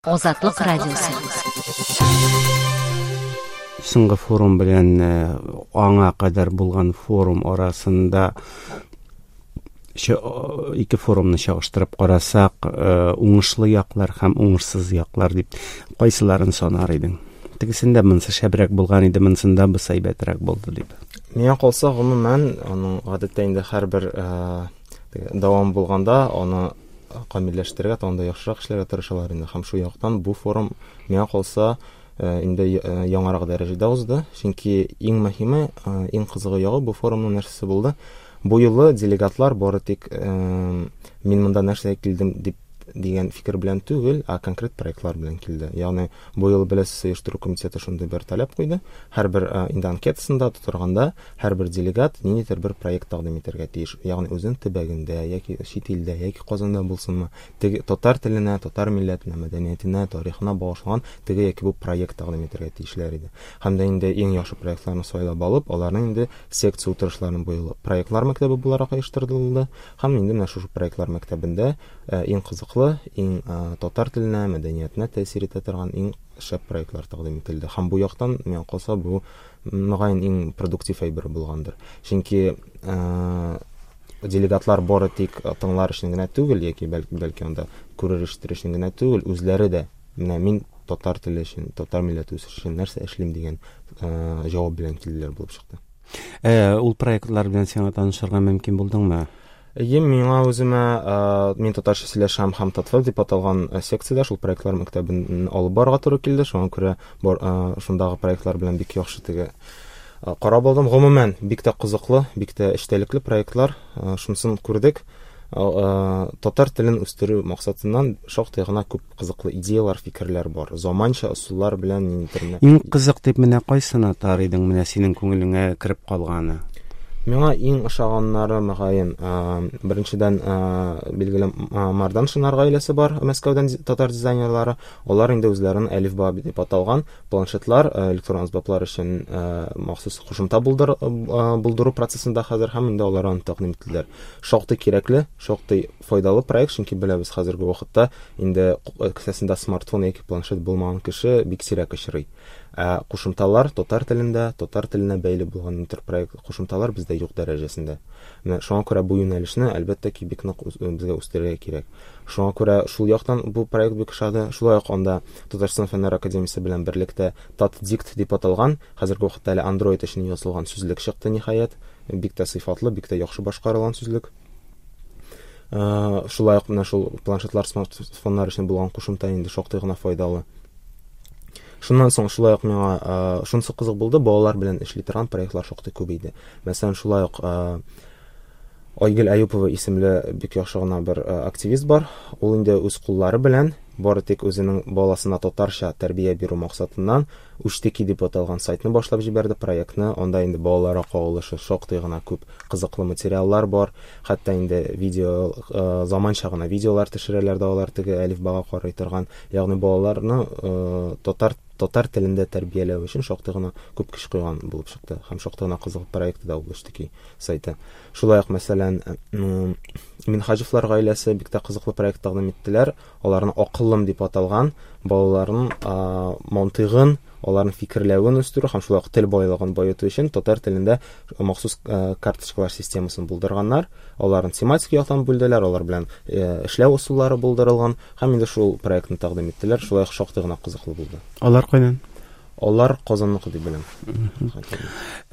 Азатлык радиосы. Соңгы форум белән аңа кадәр булган форум арасында ике форумны чагыштырып карасак, уңышлы яклар һәм уңышсыз яклар дип кайсыларын санар идең? Тегесендә монысы шәбрәк булган иде, монысында бусы әйбәтрәк булды дип. Миңа калса, гомумән, аның гадәттә инде һәрбер дәвам булганда аны камилләштерергә, тагын да яхшырак эшләргә тырышалар инде. Һәм шул яктан бу форум миңа калса инде яңарак дәрәҗәдә узды. Чөнки иң мөһиме, иң кызыгы ягы бу форумның нәрсәсе булды? Бу юлы делегатлар бары тик мин монда нәрсәгә килдем дип дигән фикер белән түгел, ә конкрет проектлар белән килде. Ягъни бу юлы беләсез, оештыру комитеты шундый бер таләп куйды. Һәрбер инде анкетасында тутырганда һәрбер делегат ниндидер бер проект тәкъдим итәргә тиеш. Ягъни үзенең төбәгендә яки чит илдә яки Казанда булсынмы, теге татар теленә, татар милләтенә, мәдәниятенә, тарихына багышланган теге яки бу проект тәкъдим итәргә тиешләр иде. Һәм дә инде иң яхшы проектларны сайлап алып, аларны инде секция утырышларын бу юлы проектлар мәктәбе буларак оештырылды. Һәм инде менә шушы проектлар мәктәбендә иң кызыклы, иң татар теленә, мәдәниятенә тәэсир итә торган иң шәп проектлар тәкъдим ителде. Һәм бу яктан, миңа калса, бу мөгаен иң продуктив әйбер булгандыр. Чөнки делегатлар бары тик тыңлар өчен генә түгел, яки бәлки анда күрер ишетер өчен генә түгел, үзләре дә менә мин татар теле өчен, татар милләте үсеше өчен нәрсә эшлим дигән җавап белән килделәр булып чыкты. Ул проектлар белән сиңа танышырга мөмкин булдыңмы? Әйе, миңа үземә, мин татарча сөйләшәм һәм Татвеб дип аталган секциядә шул проектлар мәктәбен алып барырга туры килде. Шуңа күрә бар, шундагы проектлар белән бик яхшы теге карап алдым. Гомумән, бик тә кызыклы, бик тә эчтәлекле проектлар. Шунысын күрдек. Татар телен үстерү максатыннан шактый гына күп кызыклы идеялар, фикерләр бар. Заманча ысуллар белән ниндидер менә. Иң кызык дип менә кайсын атар идең, менә синең күңелеңә кереп калганы? Миңа иң ошаганнары, мөгаен, беренчедән, билгеле, Марданшиннар гаиләсе бар, Мәскәүдән татар дизайнерлары. Алар инде үзләренең Әлифба дип аталган планшетлар, электрон әсбаплар өчен махсус кушымта булдыру процессында хәзер һәм инде алар аны тәкъдим иттеләр. Шактый кирәкле, шактый файдалы проект, чөнки беләбез, хәзерге вакытта инде кесәсендә смартфон яки планшет булмаган кеше бик сирәк очрый. Ә кушымталар татар телендә, татар теленә бәйле булган интерпроект кушымталар бездә юк дәрәҗәсендә. Менә шуңа күрә бу юнәлешне, әлбәттә ки, бик нык безгә үстерергә кирәк. Шуңа күрә шул яктан бу проект бик ошады. Шулай ук анда Татарстан Фәннәр академиясе белән берлектә Татдикт дип аталган, хәзерге вакытта әле Android өчен язылган сүзлек чыкты, ниһаять. Бик тә сыйфатлы, бик тә яхшы башкарылган сүзлек. Шулай ук менә шул планшетлар, смартфоннар өчен булган кушымта инде шактый гына файдалы. Шуннан соң шулай ук миңа шунысы кызык булды, балалар белән эшли торган проектлар шактый күп иде. Мәсәлән, шулай ук Айгөл Аюпова исемле бик яхшы гына бер активист бар. Ул инде үз куллары белән бары тик үзенең баласына татарча тәрбия бирү максатыннан Үчтеки дип аталган сайтны башлап җибәрде, проектны. Анда инде балаларга кагылышы шактый гына күп кызыклы материаллар бар. Хәтта инде видео, заманча гына видеолар төшерәләр дә алар теге әлифбага карый торган. Ягъни балаларны татар татар телендә тәрбияләү өчен шактый гына күп көч куйган булып чыкты. Һәм шактый гына кызыклы проекты да ул Үчтеки сайты. Шулай ук, мәсәлән, Минһаҗевлар гаиләсе бик тә кызыклы проект тәкъдим иттеләр. Аларны Акыллым дип аталган балаларның мантыйгын, аларның фикерләвен үстерү һәм шулай ук тел байлыгын баету өчен татар телендә махсус карточкалар системасын булдырганнар. Аларын тематик яктан бүлделәр, алар белән эшләү ысуллары булдырылган һәм инде шул проектны тәкъдим иттеләр. Шулай ук шактый гына кызыклы булды. Алар кайдан? Алар Казанныкы дип беләм.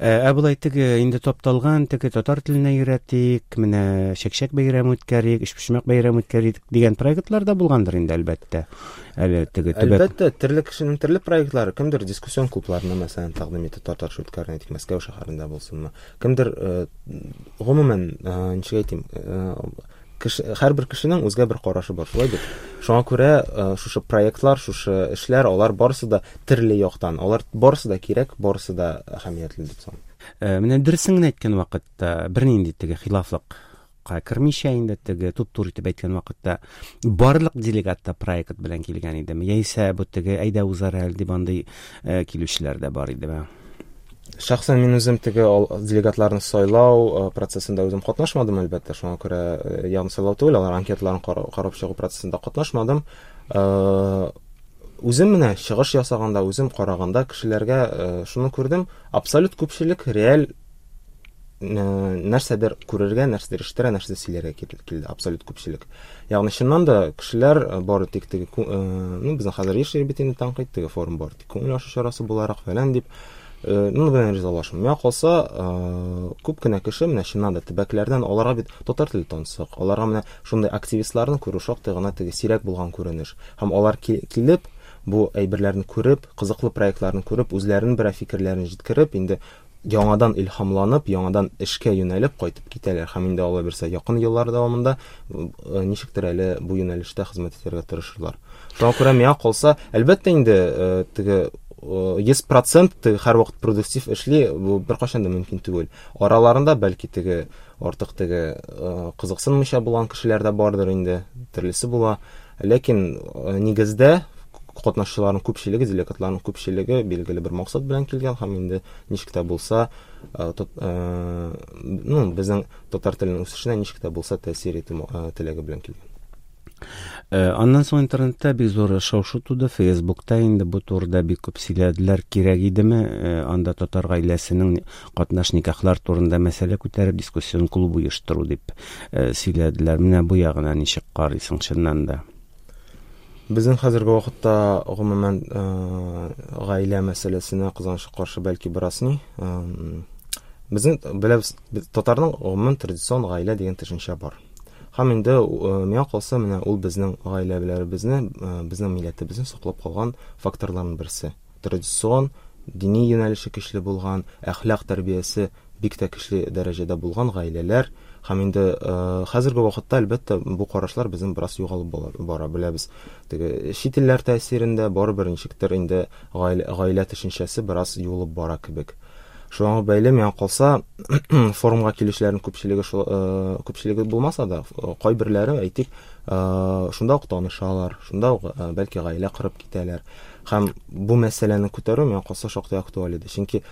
Ә болай теге инде тапталган, теге татар теленә өйрәтик, менә чәкчәк бәйрәме үткәрик, өчпочмак бәйрәме үткәрик дигән проектлар да булгандыр инде, әлбәттә. Әле теге төбәк. Әлбәттә, төрле кешенең төрле проектлары. Кемдер дискуссион клубларны, мәсәлән, тәкъдим итә, татарча үткәрүне, әйтик, Мәскәү шәһәрендә булсынмы. Кемдер, гомумән, ничек әйтим, кеше, һәрбер кешенең үзгә бер карашы бар, шулай бит? Шуңа күрә шушы проектлар, шушы эшләр, алар барысы да төрле яктан, алар барысы да кирәк, барысы да әһәмиятле дип саныйм. Менә дөресен генә әйткән вакытта, бернинди теге хилафлыкка кермичә инде, теге туп-туры итеп әйткән вакытта, барлык делегат та проект белән килгән идеме? Яисә бу теге әйдә узар әле дип андый килүчеләр дә бар идеме? Шәхсән мин үзем теге делегатларны сайлау процессында үзем катнашмадым, әлбәттә, шуңа күрә, ягъни сайлау түгел, алар анкеталарын карап чыгу процессында катнашмадым. Үзем менә чыгыш ясаганда, үзем караганда кешеләргә шуны күрдем, абсолют күпчелек реаль нәрсәдер күрергә, нәрсәдер ишетергә, нәрсәдер сөйләргә килде, абсолют күпчелек. Ягъни чыннан да кешеләр бары тик теге, ну, безнең хәзер еш бит инде тәнкыйть, теге форум бары тик күңел ачу чарасы буларак фәлән дип, ну, белән ризалашмыйм. Миңа калса, күп кенә кеше менә чыннан да төбәкләрдән, аларга бит татар теле тансык, аларга менә шундый активистларны күрү шактый гына теге сирәк булган күренеш. Һәм алар килеп, бу әйберләрне күреп, кызыклы проектларны күреп, үзләренең берәр фикерләрен җиткереп, инде яңадан илһамланып, яңадан эшкә юнәлеп кайтып китәләр. Һәм инде Алла бирсә, якын еллар дәвамында ничектер әле бу юнәлештә хезмәт итәргә тырышырлар. Шуңа күрә миңа калса, әлбәттә инде теге 100% теге һәрвакыт продуктив эшли, бу беркайчан да мөмкин түгел. Араларында бәлки теге артык теге кызыксынмыйча булган кешеләр дә бардыр инде, төрлесе була. Ләкин нигездә катнашчыларның күпчелеге, делегатларның күпчелеге билгеле бер максат белән килгән һәм инде ничек тә булса, ну, безнең татар теленең үсешенә ничек тә булса тәэсир итү теләге белән килгән. Аннан соң интернетта бик зур шау-шу туды, Фейсбукта инде бу турыда бик күп сөйләделәр. Кирәк идеме анда татар гаиләсенең катнаш никахлар турында мәсьәлә күтәреп дискуссион клуб оештыру дип сөйләделәр. Менә бу ягына ничек карыйсың чыннан да? Безнең хәзерге вакытта гомумән гаилә мәсьәләсенә кызганычка каршы бәлки бераз ни. Безнең беләбез, татарның гомумән традицион гаилә дигән төшенчә бар. Һәм инде миңа калса, менә ул безнең гаиләләребезне, безнең милләтебезне саклап калган факторларның берсе. Традицион, дини юнәлеше көчле булган, әхлак тәрбиясе бик тә көчле дәрәҗәдә булган гаиләләр. Һәм инде хәзерге вакытта, әлбәттә, бу карашлар безнең бераз югалып бара, беләбез. Теге чит илләр тәэсирендә барыбер ничектер инде гаилә төшенчәсе бераз юылып бара кебек. Шуңа бәйле миңа калса, форумга килүчеләрнең күпчелеге шул, күпчелеге булмаса да, кайберләре, әйтик, шунда ук танышалар, шунда ук бәлки гаилә корып китәләр. Һәм бу мәсьәләне күтәрү миңа калса шактый актуаль иде. Чөнки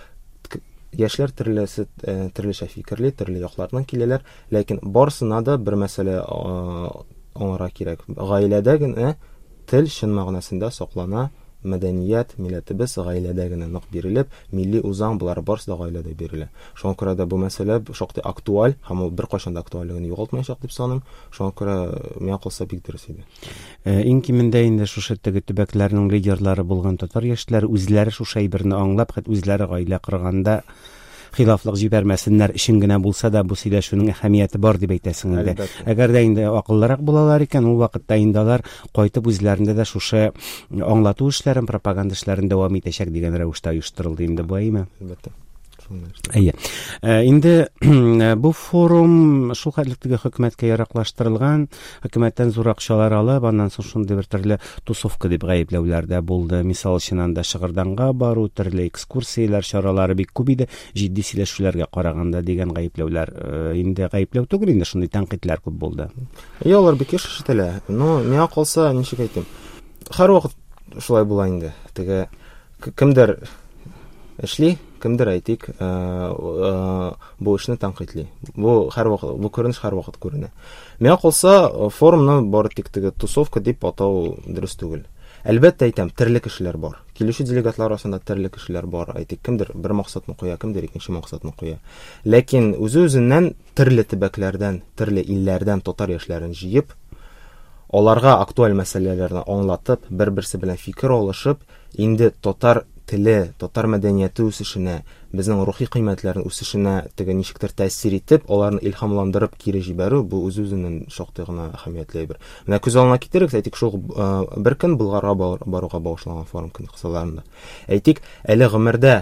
яшьләр төрлечә фикерли, төрле яклардан киләләр, ләкин барысына да бер мәсьәлә аңларга кирәк. Гаиләдә генә тел чын мәгънәсендә саклана, мәдәният, милләтебез гаиләдә генә нык бирелеп, милли үзаң болар барысы да гаиләдә бирелә. Шуңа күрә дә бу мәсьәлә шактый актуаль һәм ул беркайчан да актуальлеген югалтмаячак дип саныйм. Шуңа күрә миңа калса бик дөрес иде. Иң кимендә инде шушы теге төбәкләрнең лидерлары булган татар яшьләре үзләре шушы әйберне аңлап, хәтта үзләре гаилә корганда хилафлык җибәрмәсеннәр өчен генә булса да бу сөйләшүнең әһәмияте бар дип әйтәсең инде. Әгәр дә инде акыллырак булалар икән, ул вакытта инде алар кайтып үзләрендә дә шушы аңлату эшләрен, пропаганда эшләрен дәвам итәчәк дигән рәвештә оештырылды инде бу, әйеме? Әлбәттә. Әйе. Инде бу форум шул хәтле теге хөкүмәткә яраклаштырылган, хөкүмәттән зур акчалар алып, аннан соң шундый бер төрле тусовка дип гаепләүләр дә булды. Мисал өчен анда Шыгырданга бару, төрле экскурсияләр чаралары бик күп иде, җитди сөйләшүләргә караганда дигән гаепләүләр, инде гаепләү түгел инде, шундый тәнкыйтьләр күп булды. Әйе, алар бик еш ишетелә. Но миңа калса, ничек әйтим, һәрвакыт шулай була инде. Теге кемдер эшли, кемдер, әйтик, бу эшне тәнкыйтьли. Бу һәрвакыт, бу күренеш һәрвакыт күренә. Миңа калса, форумны бары тик теге тусовка дип атау дөрес түгел. Әлбәттә әйтәм, төрле кешеләр бар. Килүче делегатлар арасында төрле кешеләр бар. Әйтик, кемдер бер максатны куя, кемдер икенче максатны куя. Ләкин үзе-үзеннән төрле төбәкләрдән, төрле илләрдән татар яшьләрен җыеп, аларга актуаль мәсьәләләрне аңлатып, бер-берсе белән фикер алышып, инде татар теле, татар мәдәнияте үсешенә, безнең рухи кыйммәтләрнең үсешенә теге ничектер тәэсир итеп, аларны илһамландырып кире җибәрү, бу үз-үзеннән шактый гына әһәмиятле әйбер. Менә күз алдына китерегез, әйтик, шул бер көн Болгарга баруга багышланган форум көн кысаларында. Әйтик, әле гомердә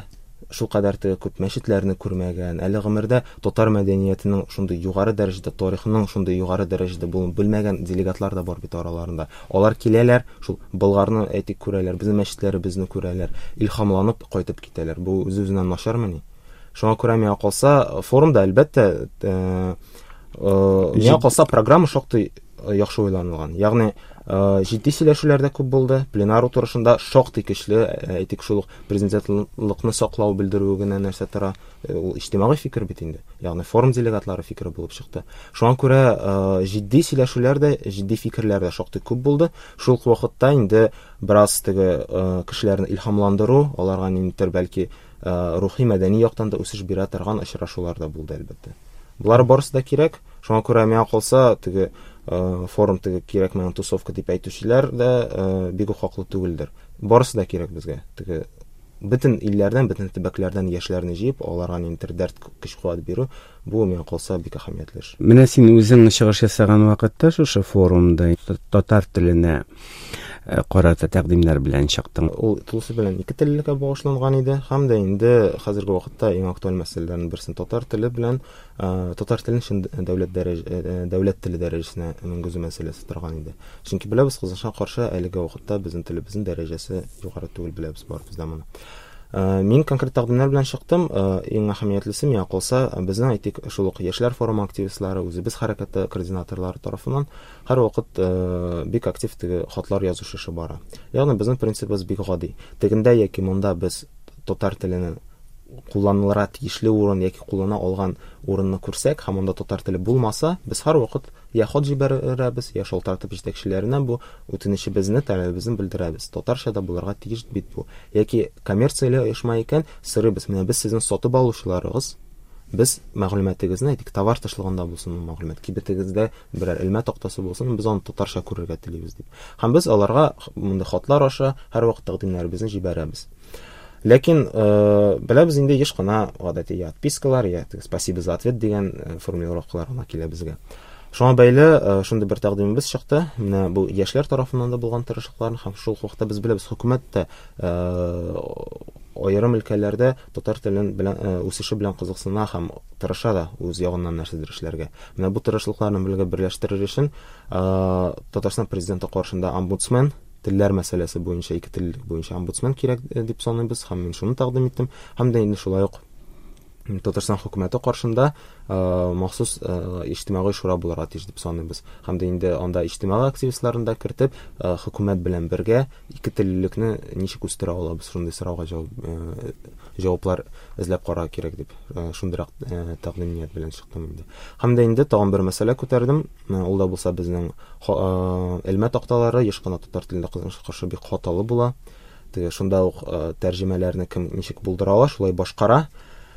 шул кадәр теге күп мәчетләрне күрмәгән, әле гомердә татар мәдәниятенең шундый югары дәрәҗәдә, тарихының шундый югары дәрәҗәдә булуын белмәгән делегатлар да бар бит араларында. Алар киләләр, шул Болгарны әйтик күрәләр, безнең мәчетләребезне күрәләр, илһамланып кайтып китәләр. Бу үз-үзеннән начармыни? Шуңа күрә миңа калса, форумда әлбәттә, миңа калса программа шактый яхшы уйланылган. Ягъни Җитди сөйләшүләр дә күп булды. Пленар утырышында шактый көчле, әйтик, шул ук президентлыкны саклау белдерүе генә нәрсә тора. Ул иҗтимагый фикер бит инде. Ягъни форум делегатлары фикере булып чыкты. Шуңа күрә җитди сөйләшүләр дә, җитди фикерләр дә шактый күп булды. Шул ук вакытта инде бераз теге кешеләрне илһамландыру, аларга ниндидер бәлки рухи мәдәни яктан да үсеш бирә торган очрашулар да булды, әлбәттә. Болар барысы да кирәк. Шуңа күрә миңа калса, теге форум теге кирәкмәгән тусовка дип әйтүчеләр дә бик үк хаклы түгелдер. Барысы да кирәк безгә. Теге бөтен илләрдән, бөтен төбәкләрдән яшьләрне җыеп, аларга ниндидер дәрт, көч-куәт бирү, бу миңа калса бик әһәмиятле эш. Менә син үзең чыгыш ясаган вакытта шушы форумда татар теленә карата тәкъдимнәр белән чыктың. Ул тулысы белән ике теллелеккә багышланган иде һәм дә инде хәзерге вакытта иң актуаль мәсьәләләрнең берсен татар теле белән татар телен чын дәүләт дәрәҗ дәүләт теле дәрәҗәсенә менгезү мәсьәләсе торган иде. Чөнки беләбез, кызганычка каршы, әлеге вакытта безнең телебезнең дәрәҗәсе югары түгел, беләбез барыбыз да моны. Мин конкрет тәкъдимнәр белән чыктым. Иң әһәмиятлесе миңа калса, безнең әйтик, шул ук яшьләр форумы активистлары, үзебез хәрәкәте координаторлары тарафыннан һәрвакыт бик актив теге хатлар язу эше бара. Ягъни безнең принцибыбыз бик гади. Тегендә яки монда без татар теленең кулланылырга тиешле урын яки куллана алган урынны күрсәк һәм анда татар теле булмаса, без һәрвакыт я хат җибәрәбез, я шалтыратып җитәкчеләренә бу үтенечебезне, таләбебезне белдерәбез. Татарча да булырга тиеш бит бу. Яки коммерцияле оешма икән, сорыйбыз, менә без сезнең сатып алучыларыгыз, без мәгълүматыгызны, әйтик, товар тышлыгында булсын ул мәгълүмат, кибетегездә берәр элмә тактасы булсын, без аны татарча күрергә телибез дип. Һәм без аларга мондый хатлар аша һәрвакыт тәкъдимнәребезне җибәрәбез. Ләкин беләбез инде еш кына гадәти я отпискалар, я спасибо за ответ дигән формулировкалар гына килә безгә. Шуңа бәйле шундый бер тәкъдимебез чыкты. Менә бу яшьләр тарафыннан да булган тырышлыкларны һәм шул ук вакытта без беләбез, хөкүмәт тә аерым өлкәләрдә татар телен белән үсеше белән кызыксына һәм тырыша да үз ягыннан нәрсәдер эшләргә. Менә бу тырышлыкларны бергә берләштерер өчен Татарстан президенты каршында омбудсмен телләр мәсьәләсе буенча ике тел буенча омбудсмен кирәк дип саныйбыз һәм мин шуны тәкъдим иттем. Һәм дә инде шулай ук Татарстан хөкүмәте каршында махсус иҗтимагый шура булырга тиеш дип саныйбыз. Һәм дә инде анда иҗтимагый активистларны да кертеп, хөкүмәт белән бергә ике теллелекне ничек үстерә алабыз, шундый сорауга җавап җаваплар эзләп карарга кирәк дип шундыйрак тәкъдим ният белән чыктым инде. Һәм дә инде тагын бер мәсьәлә күтәрдем. Ул да булса безнең элмә такталары еш кына татар телендә кызганычка каршы бик хаталы була. Теге шунда ук тәрҗемәләрне кем ничек булдыра ала, шулай башкара.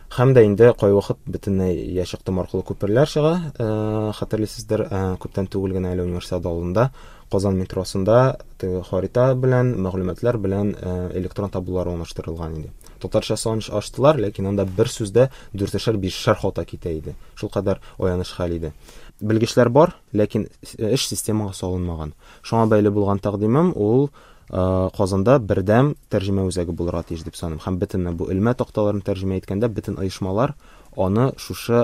Һәм дә инде кайвакыт бөтенләй я чыктым аркылы күперләр чыга. Хәтерлисездер, күптән түгел генә әле универсиада алдында Казан метросында теге харита белән, мәгълүматлар белән электрон таблолар урнаштырылган иде. Татарча сан ачтылар, ләкин анда бер сүздә дүртешәр, бишешәр хата китә иде. Шулкадәр аяныч хәл иде. Белгечләр бар, ләкин эш системага салынмаган. Шуңа бәйле булган тәкъдимем ул Казанда бердәм тәрҗемә үзәге булырга тиеш дип саныйм. Һәм бөтен бу элмә такталарын тәрҗемә иткәндә бөтен оешмалар аны шушы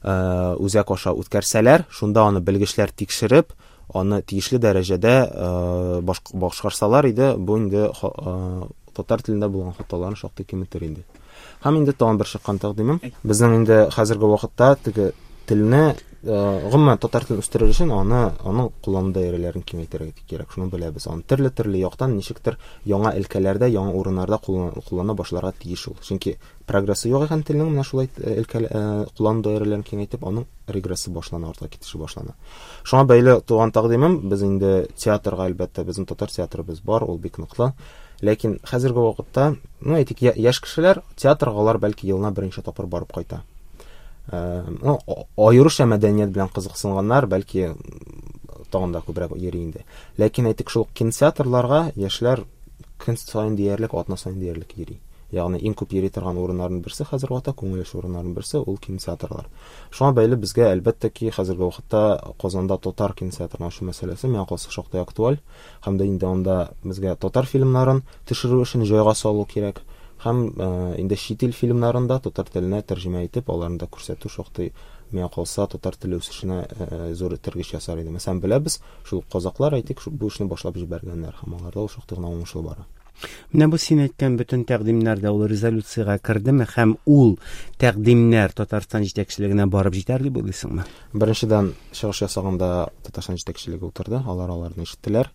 үзәк аша үткәрсәләр, шунда аны белгечләр тикшереп, аны тиешле дәрәҗәдә башкарсалар иде, бу инде татар телендә булган хаталарны шактый киметер инде. Һәм инде тагын бер чыккан тәкъдимем. Безнең инде хәзерге вакытта теге телне, гомумән татар телен үстерер өчен аны аның куллану даирәләрен киңәйтергә кирәк. Шуны беләбез. Аны төрле-төрле яктан ничектер яңа өлкәләрдә, яңа урыннарда куллана башларга тиеш ул. Чөнки прогрессы юк икән телнең менә шулай өлкә куллану даирәләрен киңәйтеп, аның регрессы башлана, артка китеше башлана. Шуңа бәйле туган тәкъдимем, без инде театрга, әлбәттә, безнең татар театрыбыз бар, ул бик ныклы. Ләкин хәзерге вакытта, ну, әйтик, яшь кешеләр театрга алар бәлки елына берничә тапкыр барып кайта. Ну, аеруча мәдәният белән кызыксынганнар, бәлки тагын да күбрәк йөри инде. Ләкин әйтик, шул кинотеатрларга яшьләр көн саен диярлек, атна саен диярлек йөри. Ягъни иң күп йөри торган урыннарның берсе хәзерге вакытта күңел ачу урыннарының берсе ул кинотеатрлар. Шуңа бәйле безгә әлбәттә ки хәзерге вакытта Казанда татар кинотеатрын ачу мәсьәләсе миңа калса шактый актуаль. Һәм дә инде анда безгә татар фильмнарын төшерү өчен җайга салу кирәк. Һәм инде чит ил фильмнарын да татар теленә тәрҗемә итеп, аларны да күрсәтү шактый миңа калса татар теле үсешенә зур этәргеч ясар иде. Мәсәлән, беләбез, шул казаклар, әйтик, бу эшне башлап җибәргәннәр һәм аларда ул шактый гына уңышлы бара. Менә бу син әйткән бөтен тәкъдимнәр дә ул резолюциягә кердеме һәм ул тәкъдимнәр Татарстан җитәкчелегенә барып җитәр дип уйлыйсыңмы? Беренчедән, чыгыш ясаганда Татарстан җитәкчелеге утырды, алар аларны ишеттеләр.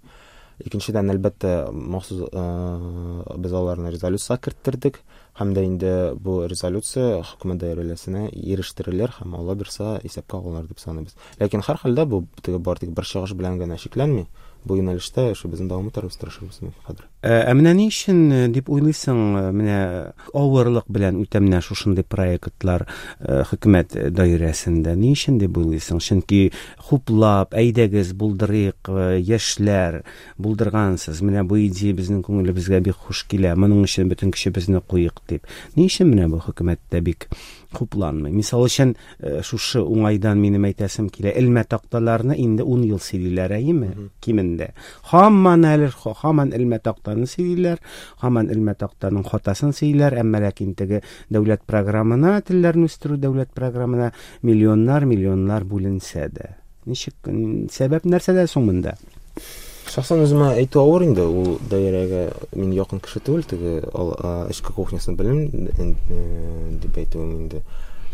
Икенчедән, әлбәттә, махсус без аларны резолюциягә керттердек һәм дә инде бу резолюция хөкүмәт даирәләренә ирештерелер һәм Алла бирса исәпкә алыныр дип саныйбыз. Ләкин һәрхәлдә бу теге бары тик бер чыгыш белән генә чикләнми. Бу юнәлештә эшебезне дәвам итәрбез, тырышырбыз хәзер. Ә менә ни өчен дип уйлыйсың, менә авырлык белән үтә менә шушындый проектлар хөкүмәт даирәсендә? Ни өчен дип уйлыйсың? Чөнки хуплап, әйдәгез, булдырыйк, яшьләр, булдыргансыз, менә бу идея безнең күңелебезгә бик хуш килә, моның өчен бөтен көчебезне куйык дип. Ни өчен менә бу хөкүмәттә бик хупланмый? Мисал өчен, шушы уңайдан минем әйтәсем килә, элмә такталарны инде 10 ел сөйлиләр, әйеме? Кимендә. Һаман әле, һаман элмә тактаны сөйлиләр, һаман элмә тактаның хатасын сөйлиләр, әмма ләкин теге дәүләт программына, телләрне үстерү дәүләт программына миллионнар, миллионнар бүленсә дә. Ничек, сәбәп нәрсәдә соң монда? Шәхсән үземә әйтү авыр инде, ул даирәгә мин якын кеше түгел, теге эчке кухнясын белмим дип әйтүем инде.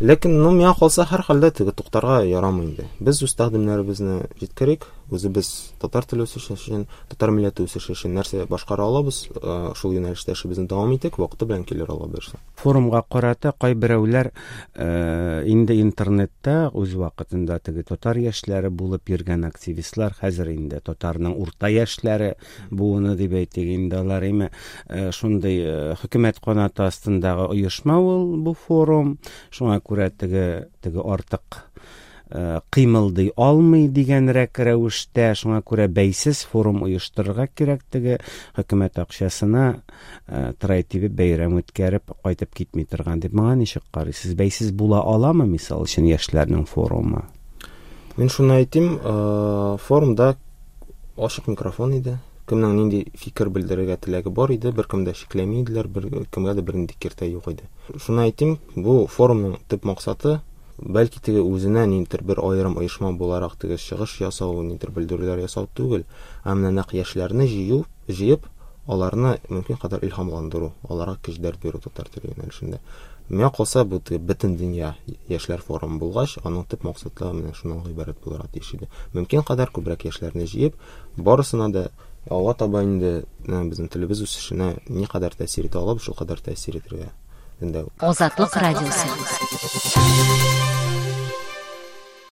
Ләкин, ну, миңа калса, һәрхәлдә теге туктарга ярамый инде. Без үз тәкъдимнәребезне җиткерик, үзебез татар теле үсеше өчен, татар милләте үсеше өчен нәрсә башкара алабыз, шул юнәлештә эшебезне дәвам итик, вакыты белән килер Алла боерса. Форумга карата кайберәүләр инде интернетта үз вакытында теге татар яшьләре булып йөргән активистлар, хәзер инде татарның урта яшьләре буыны дип әйтик инде алар, име, шундый хөкүмәт канаты астындагы оешма ул бу форум, шуңа күрә теге теге артык кыймылдый алмый дигәнрәк рәвештә, шуңа күрә бәйсез форум оештырырга кирәк, теге хөкүмәт акчасына трай тибеп бәйрәм үткәреп кайтып китми торган дип. Моңа ничек карыйсыз? Бәйсез була аламы, мисал өчен, яшьләрнең форумы? Мин шуны әйтим, форумда ачык микрофон иде. Кемнең нинди фикер белдерергә теләге бар иде, беркем дә чикләми иделәр, беркемгә дә бернинди киртә юк иде. Шуны әйтим, бу форумның төп максаты бәлки теге үзенә ниндидер бер аерым оешма буларак теге чыгыш ясау, ниндидер белдерүләр ясау түгел, ә менә нәкъ яшьләрне җыю, җыеп, аларны мөмкин кадәр илһамландыру, аларга көч дәрт бирү татар теле юнәлешендә. Миңа калса, бу теге бөтен дөнья яшьләр форумы булгач, аның төп максатлары менә шуннан гыйбарәт булырга тиеш иде. Мөмкин кадәр күбрәк яшьләрне җыеп, барысына да алга таба инде безнең телебез үсешенә никадәр тәэсир итә алабыз, шулкадәр тәэсир итәргә өндәү. Азатлык радиосы.